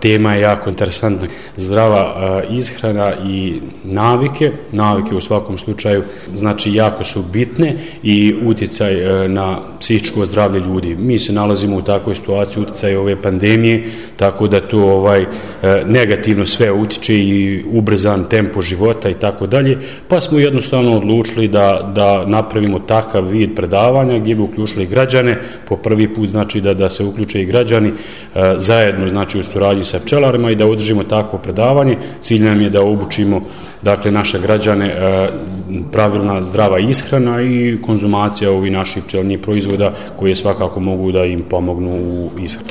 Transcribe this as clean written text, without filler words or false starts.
tema je jako interesantna. Zdrava ishrana i navike u svakom slučaju znači jako su bitne i utjecaj na psihičko zdravlje ljudi. Mi se nalazimo u takvoj situaciji utjecaja ove pandemije, tako da to negativno sve utiče i ubrzan tempo života i tako dalje, pa smo jednostavno odlučili da napravimo takav vid predavanja gdje bi uključili građane, po prvi put znači da se uključe i građani zajedno znači u suradnji sa pčelarima i da održimo takvo predavanje. Cilj nam je da obučimo dakle naše građane pravilna zdrava ishrana i konzumacija ovih naših pčelinjih proizvoda koje svakako mogu da im pomognu u ishrani.